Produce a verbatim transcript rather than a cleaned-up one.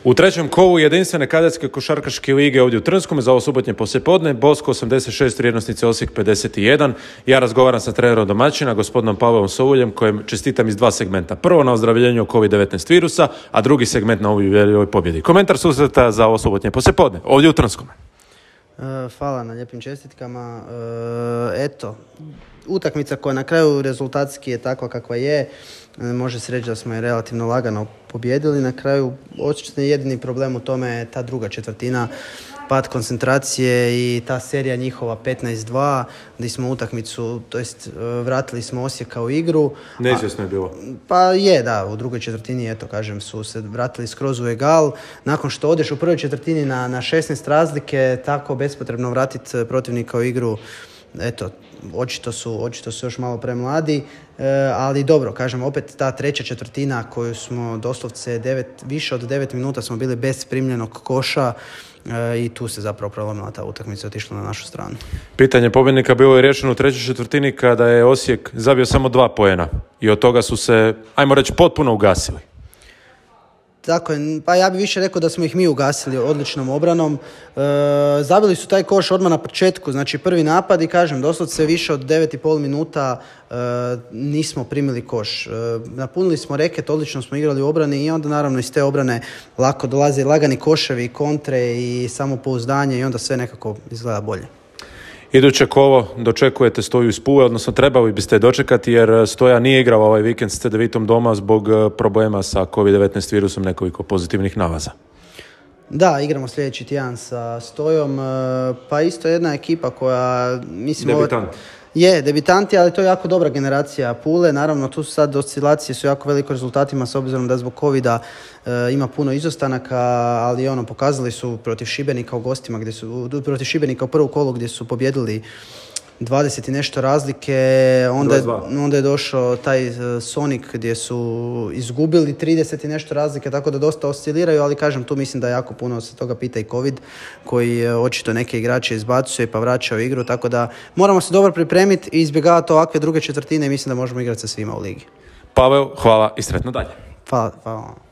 U trećem kolu jedinstvene kadetske košarkaške lige ovdje u Trnskom za ovo subotnje poslijepodne, Bosko osamdeset šest, vrijednosnice Osijek pedeset jedan. Ja razgovaram sa trenerom domaćina, gospodinom Pavlom Souljem, kojem čestitam iz dva segmenta. Prvo na ozdravljenju covid devetnaest virusa, a drugi segment na ovoj pobjedi. Komentar susreta za ovo subotnje poslijepodne ovdje u Trnskom. Hvala na lijepim čestitkama. Eto, utakmica koja na kraju rezultatski je takva kakva je. Može se reći da smo je relativno lagano pobjedili. Na kraju očito je jedini problem u tome ta druga četvrtina, pad koncentracije i ta serija njihova petnaest dva, gdje smo utakmicu, to jest vratili smo Osijeka u igru. Neizvjesno je bilo. Pa je, da, u drugoj četvrtini, eto, kažem, su se vratili skroz u egal. Nakon što odeš u prvoj četvrtini na, na šesnaest razlike, tako bespotrebno vratiti protivnika u igru, eto, očito su, očito su još malo premladi, e, ali dobro, kažem, opet ta treća četvrtina koju smo doslovce devet, više od devet minuta smo bili bez primljenog koša, e, i tu se zapravo prelomila ta utakmica, otišla na našu stranu. Pitanje pobjednika bilo je riješeno u trećoj četvrtini kada je Osijek zabio samo dva poena i od toga su se, ajmo reći, potpuno ugasili. Tako je, pa ja bih više rekao da smo ih mi ugasili odličnom obranom. E, zabili su taj koš odmah na početku, znači prvi napad i kažem, doslovce više od devet i pol minuta e, nismo primili koš. E, napunili smo reket, odlično smo igrali u obrani i onda naravno iz te obrane lako dolaze lagani koševi, kontre i samopouzdanje i onda sve nekako izgleda bolje. Iduće kolo dočekujete Stoju iz Pule, odnosno trebali biste dočekati jer Stoja nije igrao ovaj vikend s C D Vitom doma zbog problema sa covid devetnaest virusom, nekoliko pozitivnih nalaza. Da, igramo sljedeći tjedan sa Stojom, pa isto jedna ekipa koja, mislim... Debitant. Je, debitanti, ali to je jako dobra generacija Pule. Naravno, tu su sad oscilacije su jako veliko rezultatima s obzirom da zbog covida e, ima puno izostanaka, ali ono, pokazali su protiv Šibenika u gostima, gdje su, protiv Šibenika u prvu kolu gdje su pobjedili dvadeset i nešto razlike, onda je, onda je došao taj Sonic gdje su izgubili trideset i nešto razlike, tako da dosta osciliraju, ali kažem, tu mislim da jako puno se toga pita i covid, koji očito neke igrače izbacuje pa vraća u igru, tako da moramo se dobro pripremiti i izbjegavati ovakve druge četvrtine i mislim da možemo igrati sa svima u ligi. Pavel, hvala i sretno dalje. Hvala, hvala.